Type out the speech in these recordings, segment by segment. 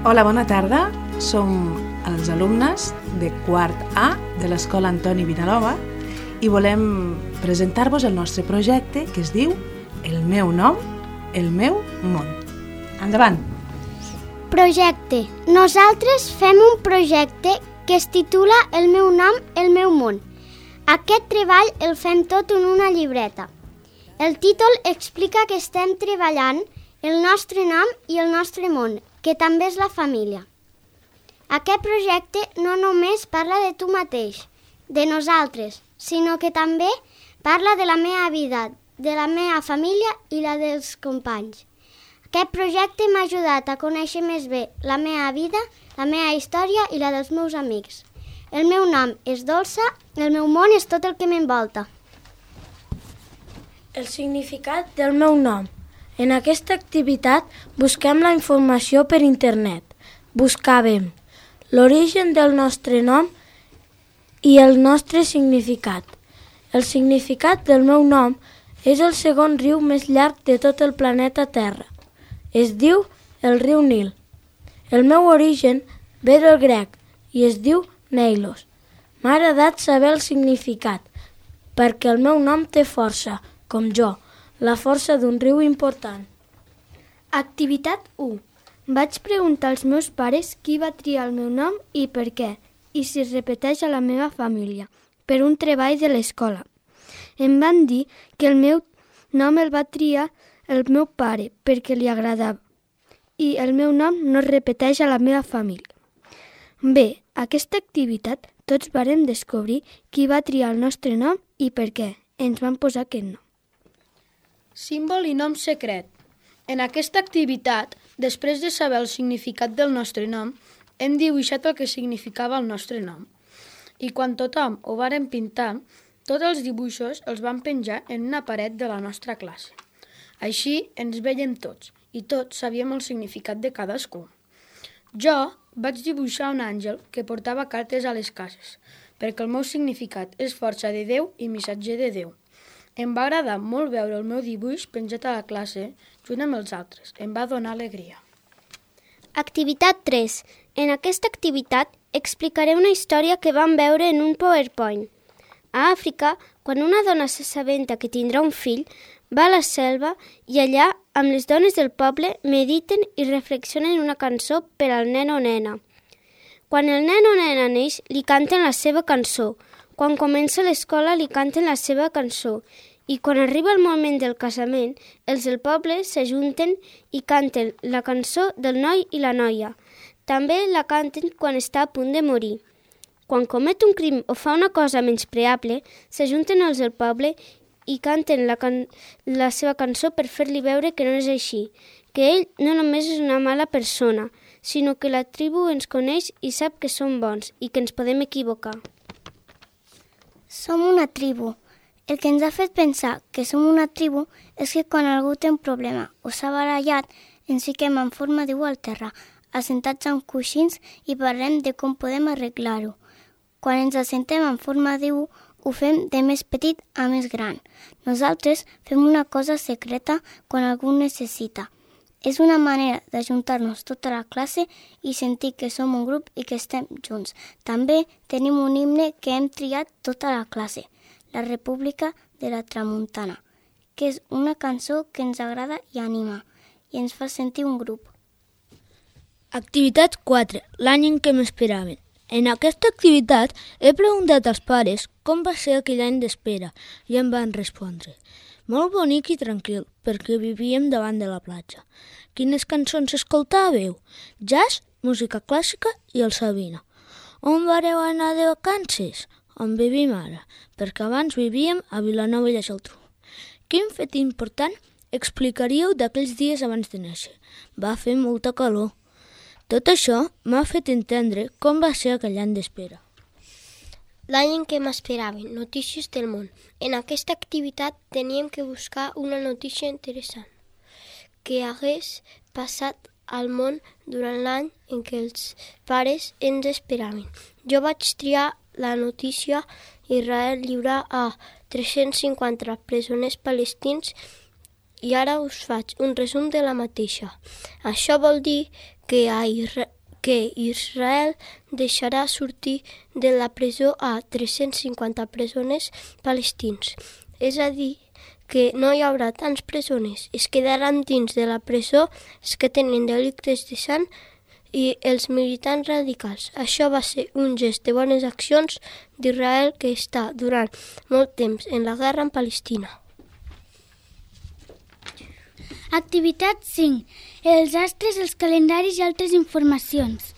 Hola, bona tarda. Som els alumnes de quart A de l'Escola Antoni Vinalova i volem presentar-vos el nostre projecte que es diu El meu nom, el meu món. Endavant! Projecte. Nosaltres fem un projecte que es titula El meu nom, el meu món. Aquest treball el fem tot en una llibreta. El títol explica que estem treballant el nostre nom i el nostre món, que també és la família. Aquest projecte no només parla de tu mateix, de nosaltres, sinó que també parla de la meva vida, de la meva família i la dels companys. Aquest projecte m'ha ajudat a conèixer més bé la meva vida, la meva història i la dels meus amics. El meu nom és Dolça, el meu món és tot el que m'envolta. El significat del meu nom. En aquesta activitat busquem la informació per internet. Buscàvem l'origen del nostre nom i el nostre significat. El significat del meu nom és el segon riu més llarg de tot el planeta Terra. Es diu el riu Nil. El meu origen ve del grec i es diu Neilos. M'ha agradat saber el significat, perquè el meu nom té força, com jo, la força d'un riu important. Activitat 1. Vaig preguntar als meus pares qui va triar el meu nom i per què, i si es repeteix a la meva família, per un treball de l'escola. Em van dir que el meu nom el va triar el meu pare perquè li agradava i el meu nom no es repeteix a la meva família. Bé, aquesta activitat tots vàrem descobrir qui va triar el nostre nom i per què ens van posar aquest nom. Símbol i nom secret. En aquesta activitat, després de saber el significat del nostre nom, hem dibuixat el que significava el nostre nom. I quan tothom ho vàrem pintar, tots els dibuixos els vam penjar en una paret de la nostra classe. Així ens veiem tots i tots sabíem el significat de cadascú. Jo vaig dibuixar un àngel que portava cartes a les cases, perquè el meu significat és força de Déu i missatger de Déu. Em va agradar molt veure el meu dibuix penjat a la classe junt amb els altres. Em va donar alegria. Activitat 3. En aquesta activitat explicaré una història que vam veure en un PowerPoint. A Àfrica, quan una dona s'assabenta que tindrà un fill, va a la selva i allà, amb les dones del poble, mediten i reflexionen una cançó per al nen o nena. Quan el nen o nena neix, li canten la seva cançó. Quan comença l'escola, li canten la seva cançó. I quan arriba el moment del casament, els del poble s'ajunten i canten la cançó del noi i la noia. També la canten quan està a punt de morir. Quan comet un crim o fa una cosa menyspreable, s'ajunten els del poble i canten la seva cançó per fer-li veure que no és així, que ell no només és una mala persona, sinó que la tribu ens coneix i sap que som bons i que ens podem equivocar. Som una tribu. El que ens ha fet pensar que som una tribu és que quan algú té un problema o s'ha barallat, ens fiquem en forma d'U al terra, assentats en coixins i parlem de com podem arreglar-ho. Quan ens assentem en forma d'U, ho fem de més petit a més gran. Nosaltres fem una cosa secreta quan algú necessita. És una manera d'ajuntar-nos tota la classe i sentir que som un grup i que estem junts. També tenim un himne que hem triat tota la classe, la República de la Tramuntana, que és una cançó que ens agrada i anima i ens fa sentir un grup. Activitat 4. L'any en què m'esperaven. En aquesta activitat he preguntat als pares com va ser aquell any d'espera i em van respondre: molt bonic i tranquil, perquè vivíem davant de la platja. Quines cançons escoltàveu? Jazz, música clàssica i el Sabina. On vareu anar de vacances? On vivim ara? Perquè abans vivíem a Vilanova i la Geltrú. Quin fet important explicaríeu d'aquells dies abans de néixer? Va fer molta calor. Tot això m'ha fet entendre com va ser aquell any d'espera. L'any en què m'esperaven, notícies del món. En aquesta activitat teníem que buscar una notícia interessant que hagués passat al món durant l'any en què els pares ens esperaven. Jo vaig triar la notícia Israel lliura a 350 presoners palestins i ara us faig un resum de la mateixa. Això vol dir que a que Israel deixarà sortir de la presó a 350 presoners palestins. És a dir, que no hi haurà tants presoners. Es quedaran dins de la presó els que tenen delictes de sang i els militants radicals. Això va ser un gest de bones accions d'Israel que està durant molt temps en la guerra amb Palestina. Activitat 5. Els astres, els calendaris i altres informacions.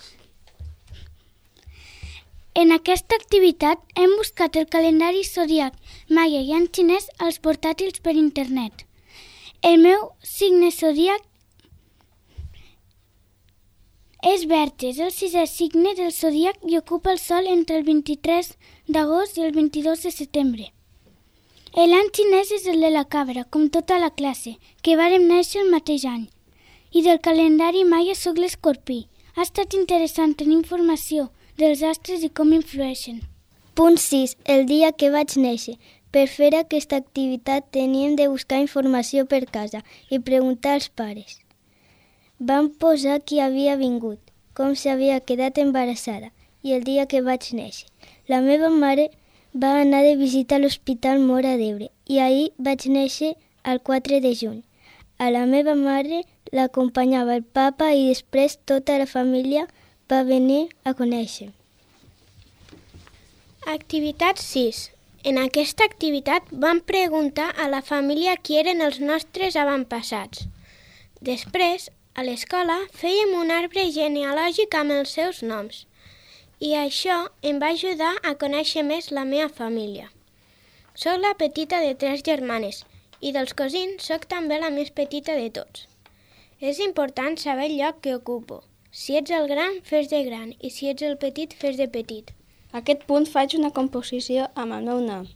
En aquesta activitat hem buscat el calendari zodiac, maia i en xinès als portàtils per internet. El meu signe zodiac és Verges, el 6è signe del zodiac i ocupa el sol entre el 23 d'agost i el 22 de setembre. L'any xinès és el de la cabra, com tota la classe, que vàrem néixer el mateix any. I del calendari maia soc l'escorpí. Ha estat interessant tenir informació dels astres i com influeixen. Punt 6. El dia que vaig néixer. Per fer aquesta activitat teníem de buscar informació per casa i preguntar als pares. Vam posar qui havia vingut, com s'havia quedat embarassada i el dia que vaig néixer. La meva mare va anar de visita a l'Hospital Mora d'Ebre i ahir vaig néixer el 4 de juny. A la meva mare l'acompanyava el papa i després tota la família va venir a conèixer. Activitat 6. En aquesta activitat vam preguntar a la família qui eren els nostres avantpassats. Després, a l'escola, fèiem un arbre genealògic amb els seus noms. I això em va ajudar a conèixer més la meva família. Soc la petita de 3 germanes i dels cosins soc també la més petita de tots. És important saber el lloc que ocupo. Si ets el gran, fes de gran, i si ets el petit, fes de petit. A aquest punt faig una composició amb el meu nom.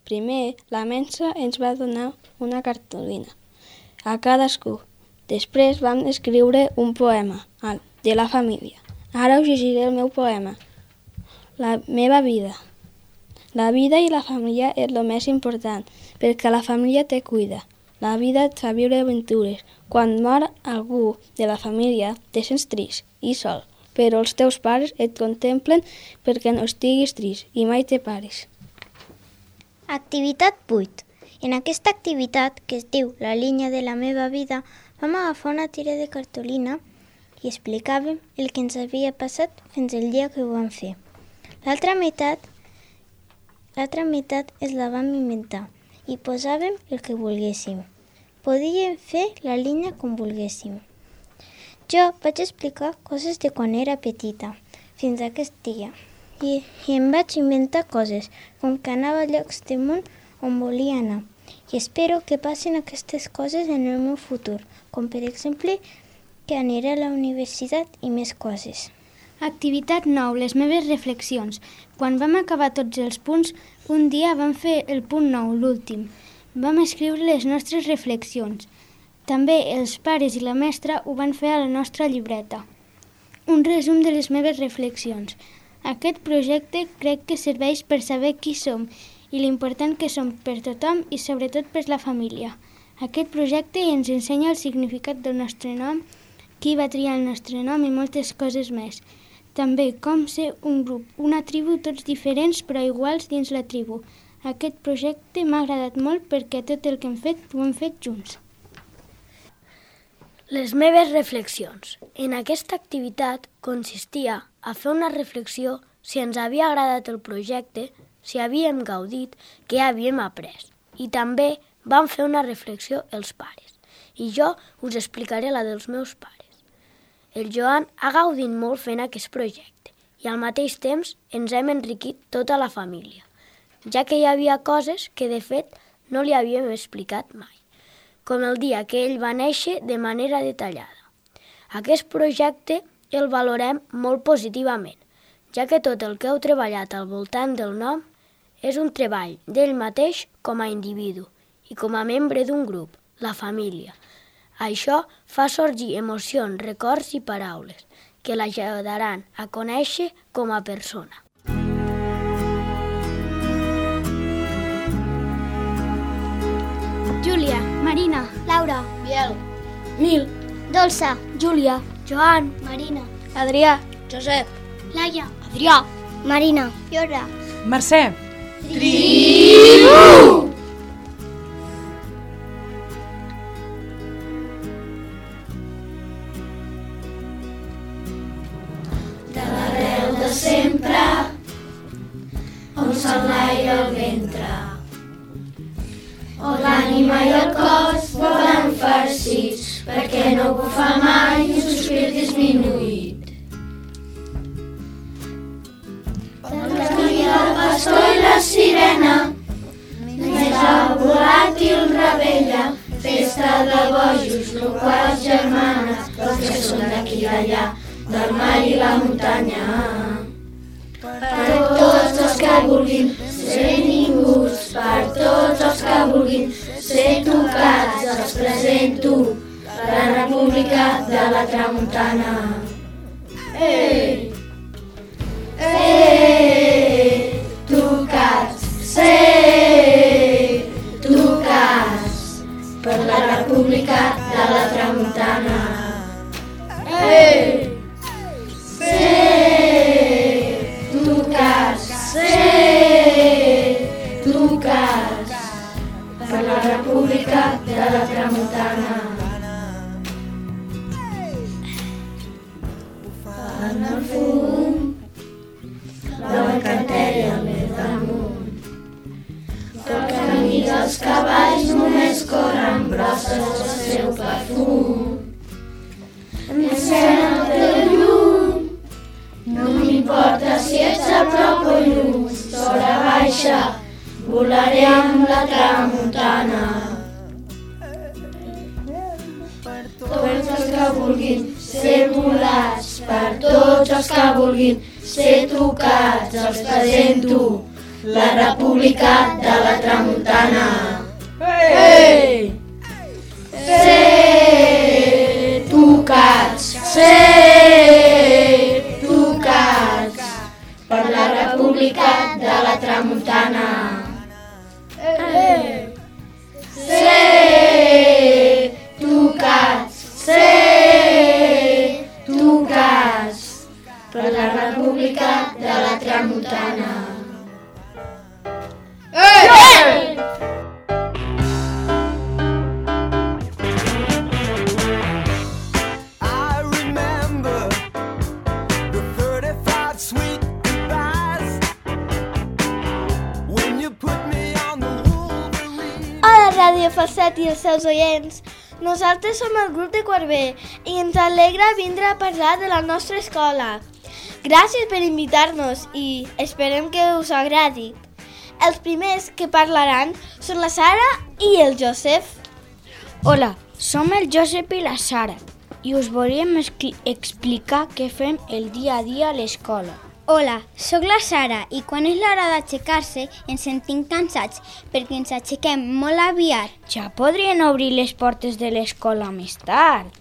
Primer, la Mensa ens va donar una cartolina a cadascú. Després vam escriure un poema de la família. Ara us llegiré el meu poema. La meva vida. La vida i la família és el més important, perquè la família te cuida. La vida et fa viure aventures. Quan mor algú de la família, te sents trist i sol, però els teus pares et contemplen perquè no estiguis trist i mai te pares. Activitat 8. En aquesta activitat, que es diu La línia de la meva vida, vam agafar una tira de cartolina i explicàvem el que ens havia passat fins el dia que ho vam fer. L'altra meitat es la vam inventar i posàvem el que volguéssim. Podíem fer la línia com volguéssim. Jo vaig explicar coses de quan era petita, fins a aquest dia, i em vaig inventar coses, com que anava a llocs del món on volia anar. I espero que passin aquestes coses en el meu futur, com per exemple que aniré a la universitat i més coses. Activitat 9. Les meves reflexions. Quan vam acabar tots els punts, un dia vam fer el punt 9, l'últim. Vam escriure les nostres reflexions. També els pares i la mestra ho van fer a la nostra llibreta. Un resum de les meves reflexions. Aquest projecte crec que serveix per saber qui som i l'important que som per tothom i sobretot per la família. Aquest projecte ens ensenya el significat del nostre nom, qui va triar el nostre nom i moltes coses més. També com ser un grup, una tribu, tots diferents però iguals dins la tribu. Aquest projecte m'ha agradat molt perquè tot el que hem fet ho hem fet junts. Les meves reflexions. En aquesta activitat consistia a fer una reflexió si ens havia agradat el projecte, si havíem gaudit, què havíem après. I també vam fer una reflexió els pares. I jo us explicaré la dels meus pares. El Joan ha gaudit molt fent aquest projecte i al mateix temps ens hem enriquit tota la família, ja que hi havia coses que de fet no li havíem explicat mai, com el dia que ell va néixer de manera detallada. Aquest projecte el valorem molt positivament, ja que tot el que heu treballat al voltant del nom és un treball d'ell mateix com a individu i com a membre d'un grup, la família. Això fa sorgir emocions, records i paraules que l'ajudaran a conèixer com a persona. Júlia, Marina, Laura, Biel, Nil, Dolça, Júlia, Joan, Marina, Adrià, Josep, Laia, Adrià, Marina. Iora. Mercè. Ràdio Falset i els seus oients. Nosaltres som el grup de quart B i ens alegra vindre a parlar de la nostra escola. Gràcies per invitar-nos i esperem que us agradi. Els primers que parlaran són la Sara i el Josep. Hola, som el Josep i la Sara i us volíem explicar què fem el dia a dia a l'escola. Hola, sóc la Sara i quan és l'hora d'aixecar-se ens sentim cansats perquè ens aixequem molt aviat. Ja podrien obrir les portes de l'escola més tard.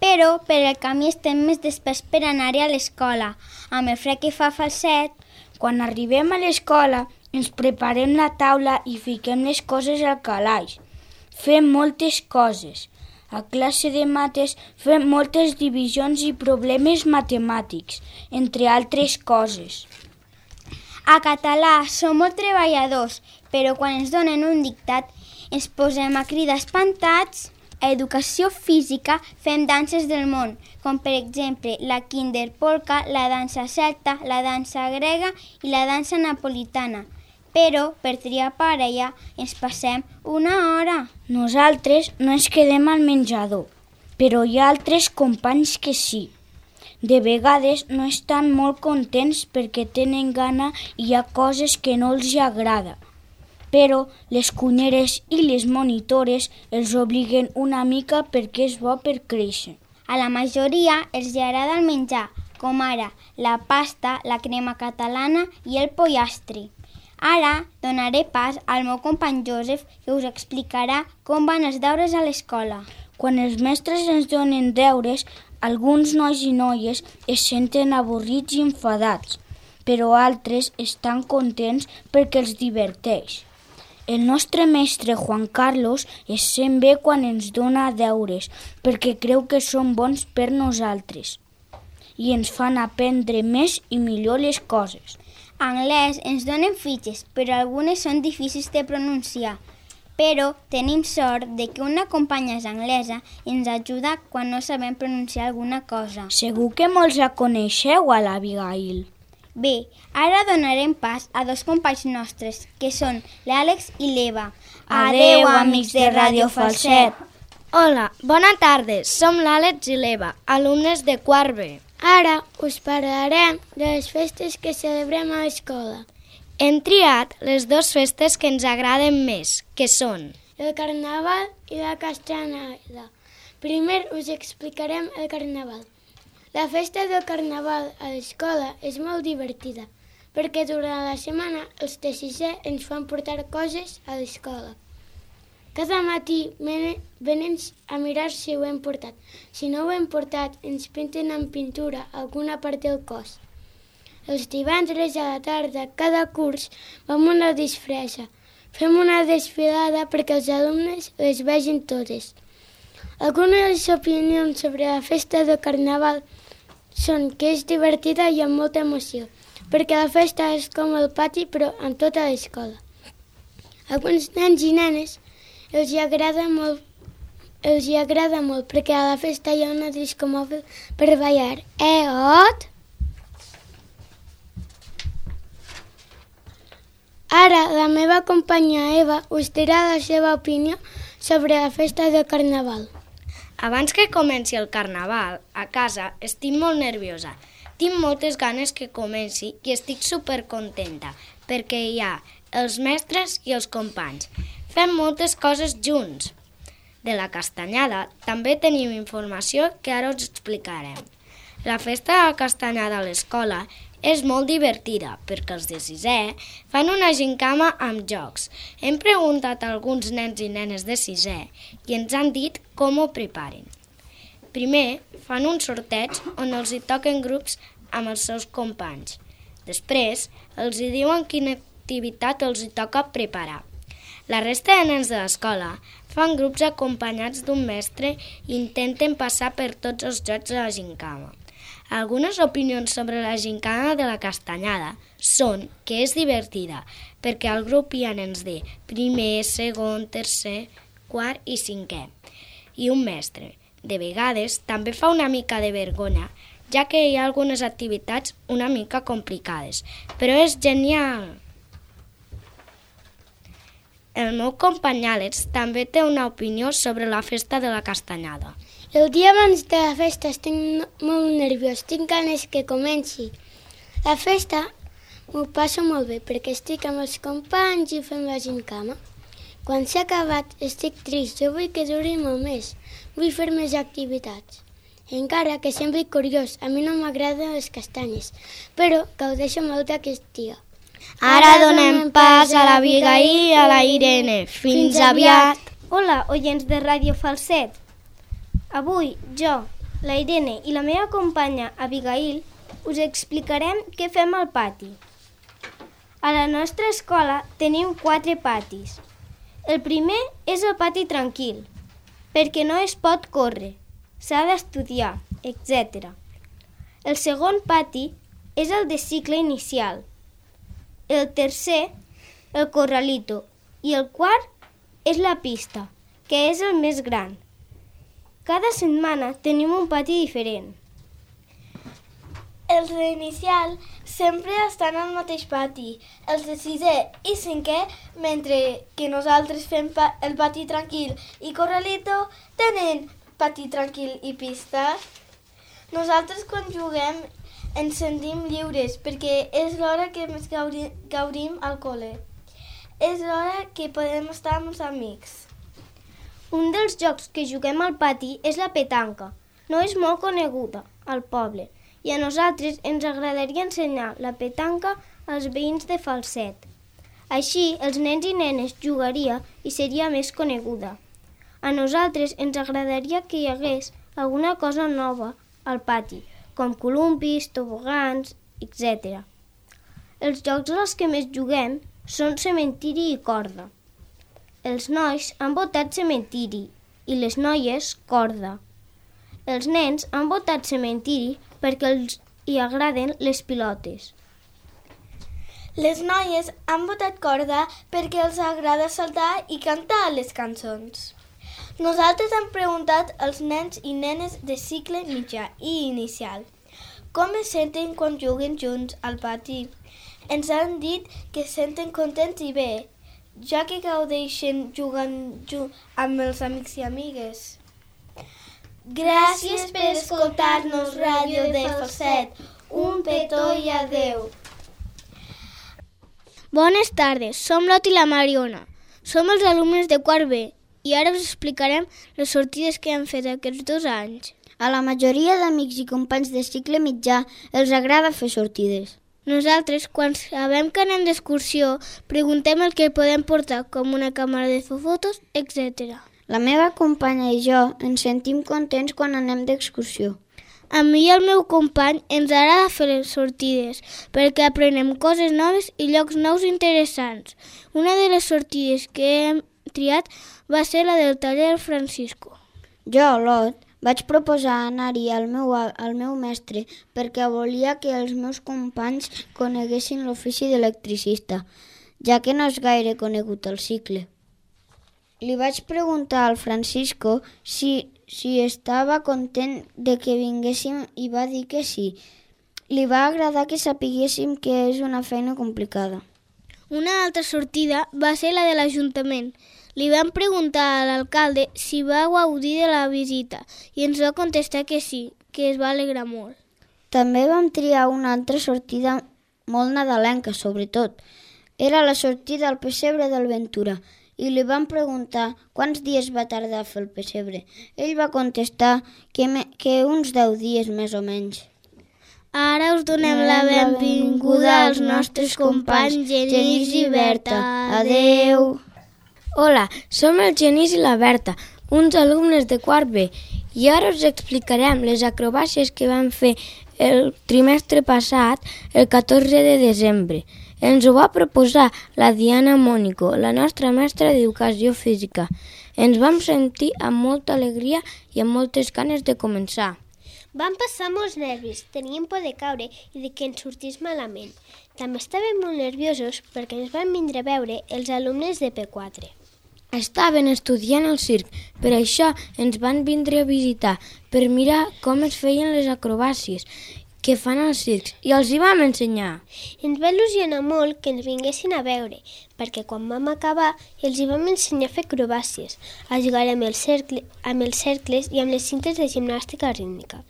Però per el camí estem més desperts per anar-hi a l'escola. Amb el fred que fa Falset, quan arribem a l'escola ens preparem la taula i fiquem les coses al calaix. Fem moltes coses. A classe de mates fem moltes divisions i problemes matemàtics, entre altres coses. A català som molt treballadors, però quan ens donen un dictat ens posem a cridar espantats. A educació física fem danses del món, com per exemple la kinderpolka, la dansa celta, la dansa grega i la dansa napolitana. Però per triar parella ens passem una hora. Nosaltres no ens quedem al menjador, però hi ha altres companys que sí. De vegades no estan molt contents perquè tenen gana i hi ha coses que no els agrada. Però les cunyeres i les monitores els obliguen una mica perquè és bo per créixer. A la majoria els agrada el menjar, com ara la pasta, la crema catalana i el pollastre. Ara donaré pas al meu company Josep, que us explicarà com van els deures a l'escola. Quan els mestres ens donen deures, alguns nois i noies es senten avorrits i enfadats, però altres estan contents perquè els diverteix. El nostre mestre Juan Carlos es sent bé quan ens dona deures, perquè creu que són bons per nosaltres. i ens fan aprendre més i millor les coses. Anglès ens donen fitxes, però algunes són difícils de pronunciar. Però tenim sort de que una companya és anglesa i ens ajuda quan no sabem pronunciar alguna cosa. Segur que molts la coneixeu, a l'Abigail. Bé, ara donarem pas a dos companys nostres, que són l'Àlex i l'Eva. Adeu, amics de Ràdio Falset. Hola, bona tarda. Som l'Àlex i l'Eva, alumnes de quart B. Ara us parlarem de les festes que celebrem a l'escola. Hem triat les dues festes que ens agraden més, que són el Carnaval i la Castanyada. Primer us explicarem el Carnaval. La festa del Carnaval a l'escola és molt divertida, perquè durant la setmana els de sisè ens fan portar coses a l'escola. Cada matí venen a mirar si ho hem portat. Si no ho hem portat, ens pinten amb pintura alguna part del cos. Els divendres a la tarda, cada curs, vam a una disfressa. Fem una desfilada perquè els alumnes les vegin totes. Algunes de les opinions sobre la festa del Carnaval són que és divertida i amb molta emoció, perquè la festa és com el pati però en tota l'escola. Alguns nens i nenes els hi agrada molt perquè a la festa hi ha una disco mòbil per ballar. Ot! Ara la meva companya Eva us dirà la seva opinió sobre la festa del Carnaval. Abans que comenci el Carnaval, a casa estic molt nerviosa. Tinc moltes ganes que comenci i estic supercontenta perquè hi ha els mestres i els companys. Fem moltes coses junts. De la Castanyada també tenim informació que ara us explicarem. La festa de la Castanyada a l'escola és molt divertida perquè els de sisè fan una gincama amb jocs. Hem preguntat a alguns nens i nenes de sisè i ens han dit com ho preparen. Primer fan un sorteig on els hi toquen grups amb els seus companys. Després els hi diuen quina activitat els hi toca preparar. La resta de nens de l'escola fan grups acompanyats d'un mestre i intenten passar per tots els jocs de la gincama. Algunes opinions sobre la gincana de la Castanyada són que és divertida, perquè al grup hi ha nens de primer, segon, tercer, quart i cinquè, i un mestre. De vegades també fa una mica de vergonya, ja que hi ha algunes activitats una mica complicades, però és genial! El meu company Àlex també té una opinió sobre la festa de la Castanyada. El dia abans de la festa estic molt nerviós, tinc ganes que comenci. La festa m'ho passo molt bé perquè estic amb els companys i fem la gincama. Quan s'ha acabat estic trist, jo vull que duri molt més, vull fer més activitats. Encara que sembli curiós, a mi no m'agraden les castanyes, però gaudeixo molt d'aquest dia. Ara donem pas a l'Abigail i a la Irene. Fins aviat! Hola, oients de Ràdio Falset. Avui jo, la Irene i la meva companya Abigail us explicarem què fem al pati. A la nostra escola tenim 4 patis. El primer és el pati tranquil, perquè no es pot córrer, s'ha d'estudiar, etc. El segon pati és el de cicle inicial. El tercer, el corralito, i el quart és la pista, que és el més gran. Cada setmana tenim un pati diferent. Els d'inicial sempre estan al mateix pati, els de sisè i cinquè, mentre que nosaltres fem el pati tranquil i corralito tenen pati tranquil i pista. Nosaltres quan juguem ens sentim lliures perquè és l'hora que més gaudim al col·le. És l'hora que podem estar amb els amics. Un dels jocs que juguem al pati és la petanca. No és molt coneguda al poble i a nosaltres ens agradaria ensenyar la petanca als veïns de Falset. Així, els nens i nenes jugaria i seria més coneguda. A nosaltres ens agradaria que hi hagués alguna cosa nova al pati, com columpis, tobogans, etc. Els jocs als que més juguem són cementiri i corda. Els nois han votat cementiri i les noies corda. Els nens han votat cementiri perquè els hi agraden les pilotes. Les noies han votat corda perquè els agrada saltar i cantar les cançons. Nosaltres hem preguntat als nens i nenes de cicle mitjà i inicial com es senten quan juguen junts al pati. Ens han dit que es senten contents i bé, ja que gaudeixen jugant amb els amics i amigues. Gràcies per escoltar-nos, Ràdio de Falset. Un petó i adeu. Bones tardes, som l'Ot i la Mariona. Som els alumnes de quart B i ara us explicarem les sortides que hem fet aquests 2 anys. A la majoria d'amics i companys de cicle mitjà els agrada fer sortides. Nosaltres, quan sabem que anem d'excursió, preguntem el que podem portar, com una càmera de fer fotos, etc. La meva companya i jo ens sentim contents quan anem d'excursió. A mi i al meu company ens agrada fer les sortides, perquè aprenem coses noves i llocs nous interessants. Una de les sortides que hem triat va ser la del taller Francisco. Jo, l'Ot, vaig proposar anar-hi al meu mestre perquè volia que els meus companys coneguessin l'ofici d'electricista, ja que no és gaire conegut al cicle. Li vaig preguntar al Francisco si estava content de que vinguéssim i va dir que sí. Li va agradar que sapiguéssim que és una feina complicada. Una altra sortida va ser la de l'Ajuntament. Li vam preguntar a l'alcalde si va gaudir de la visita i ens va contestar que sí, que es va alegrar molt. També vam triar una altra sortida molt nadalenca, sobretot. Era la sortida al pessebre del Ventura i li vam preguntar quants dies va tardar a fer el pessebre. Ell va contestar que uns 10 dies més o menys. Ara us donem la benvinguda als nostres companys Genís i Berta. Adeu! Hola, som el Genís i la Berta, uns alumnes de quart B, i ara us explicarem les acrobàcies que vam fer el trimestre passat, el 14 de desembre. Ens ho va proposar la Diana Mónico, la nostra mestra d'Educació Física. Ens vam sentir amb molta alegria i amb moltes ganes de començar. Vam passar molts nervis, teníem por de caure i de que ens sortís malament. També estàvem molt nerviosos perquè ens van vindre a veure els alumnes de P4. Estaven estudiant al circ, per això ens van vindre a visitar, per mirar com es feien les acrobàcies que fan als circs, i els hi vam ensenyar. Ens va il·lusionar molt que ens vinguessin a veure, perquè quan vam acabar els hi vam ensenyar a fer acrobàcies, a jugar amb els cercles i amb les cintes de gimnàstica rítmica.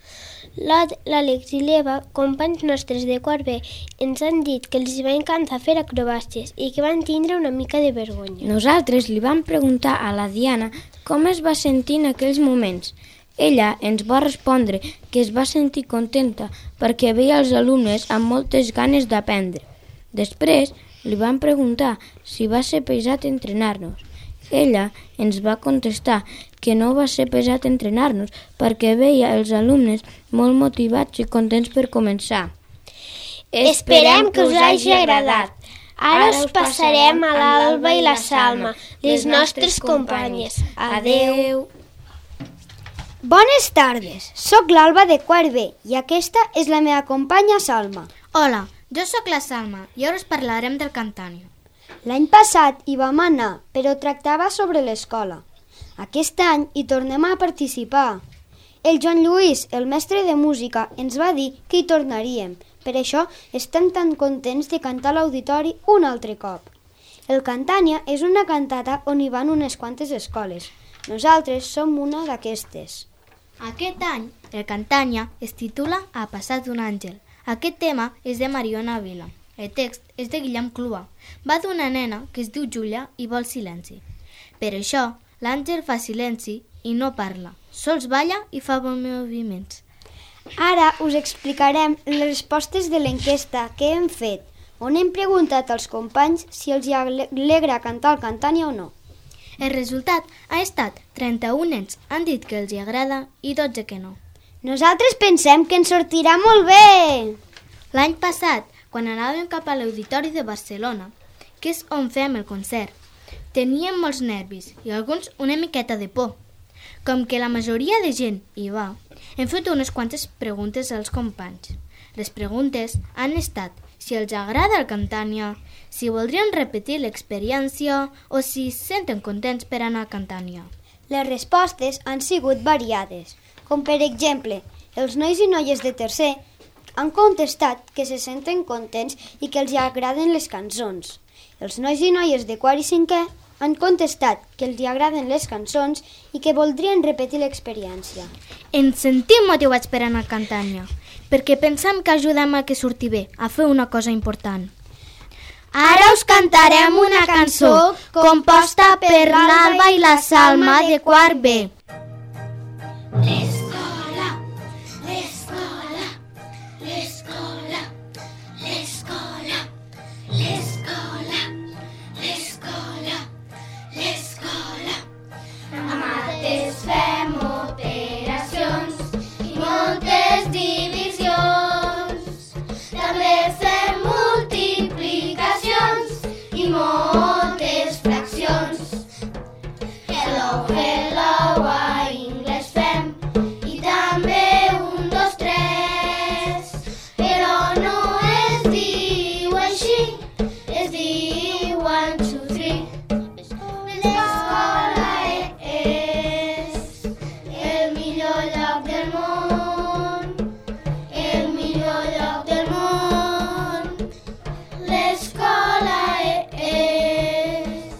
L'Àlex i l'Eva, companys nostres de quart B, ens han dit que els va encantar fer acrobàcies i que van tindre una mica de vergonya. Nosaltres li vam preguntar a la Diana com es va sentir en aquells moments. Ella ens va respondre que es va sentir contenta perquè veia els alumnes amb moltes ganes d'aprendre. Després li vam preguntar si va ser pesat entrenar-nos. Ella ens va contestar que no va ser pesat entrenar-nos perquè veia els alumnes molt motivats i contents per començar. Esperem que us hagi agradat. Ara us passarem a l'Alba i la Salma, les nostres companyes. Adeu! Bones tardes, sóc l'Alba de quart B i aquesta és la meva companya Salma. Hola, jo sóc la Salma i ara us parlarem del Cantània. L'any passat hi vam anar, però tractava sobre l'escola. Aquest any hi tornem a participar. El Joan Lluís, el mestre de música, ens va dir que hi tornaríem. Per això estem tan contents de cantar a l'auditori un altre cop. El Cantània és una cantata on hi van unes quantes escoles. Nosaltres som una d'aquestes. Aquest any, el Cantània es titula A passat d'un àngel. Aquest tema és de Mariona Vila. El text és de Guillem Clua. Va d'una nena que es diu Júlia i vol silenci. Per això, l'àngel fa silenci i no parla. Sols balla i fa bons moviments. Ara us explicarem les respostes de l'enquesta que hem fet, on hem preguntat als companys si els alegra cantar el Cantània o no. El resultat ha estat 31 nens han dit que els hi agrada i 12 que no. Nosaltres pensem que ens sortirà molt bé! L'any passat, quan anàvem cap a l'Auditori de Barcelona, que és on fem el concert, teníem molts nervis i alguns una miqueta de por. Com que la majoria de gent hi va, Hem fet unes quantes preguntes als companys. Les preguntes han estat si els agrada el Cantània, si voldrien repetir l'experiència o si es senten contents per anar a Cantània. Les respostes han sigut variades, com per exemple, els nois i noies de tercer han contestat que se senten contents i que els agraden les cançons. Els nois i noies de quart i cinquè han contestat que els agraden les cançons i que voldrien repetir l'experiència. Ens sentim motivats per anar a Cantània, perquè pensam que ajudem a que surti bé, a fer una cosa important. Ara us cantarem una cançó composta per l'Alba i la Salma de quart B. L'escola, l'escola, l'escola, l'escola, l'escola, l'escola, l'escola. A mates fem operacions i moltes divisions. També fem multiplicacions i moltes fraccions. Hello, hello, a anglès fem i també 1, 2, 3. Però no es diu així, es diu 1, 2, 3. L'escola és el millor lloc del món, el millor lloc del món. L'escola és.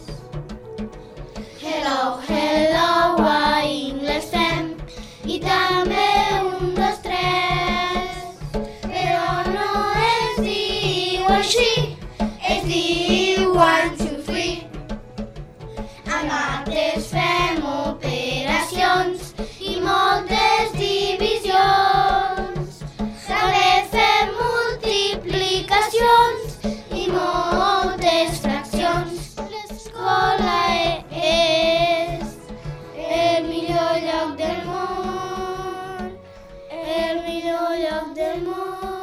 Hello, hello, a anglès fem i també 1, 2, 3. Però no es diu així, es diu 1, 2, 3. A mates fem operacions i moltes divisions. També fem multiplicacions i moltes fraccions. L'escola és el millor lloc del món, el millor lloc del món.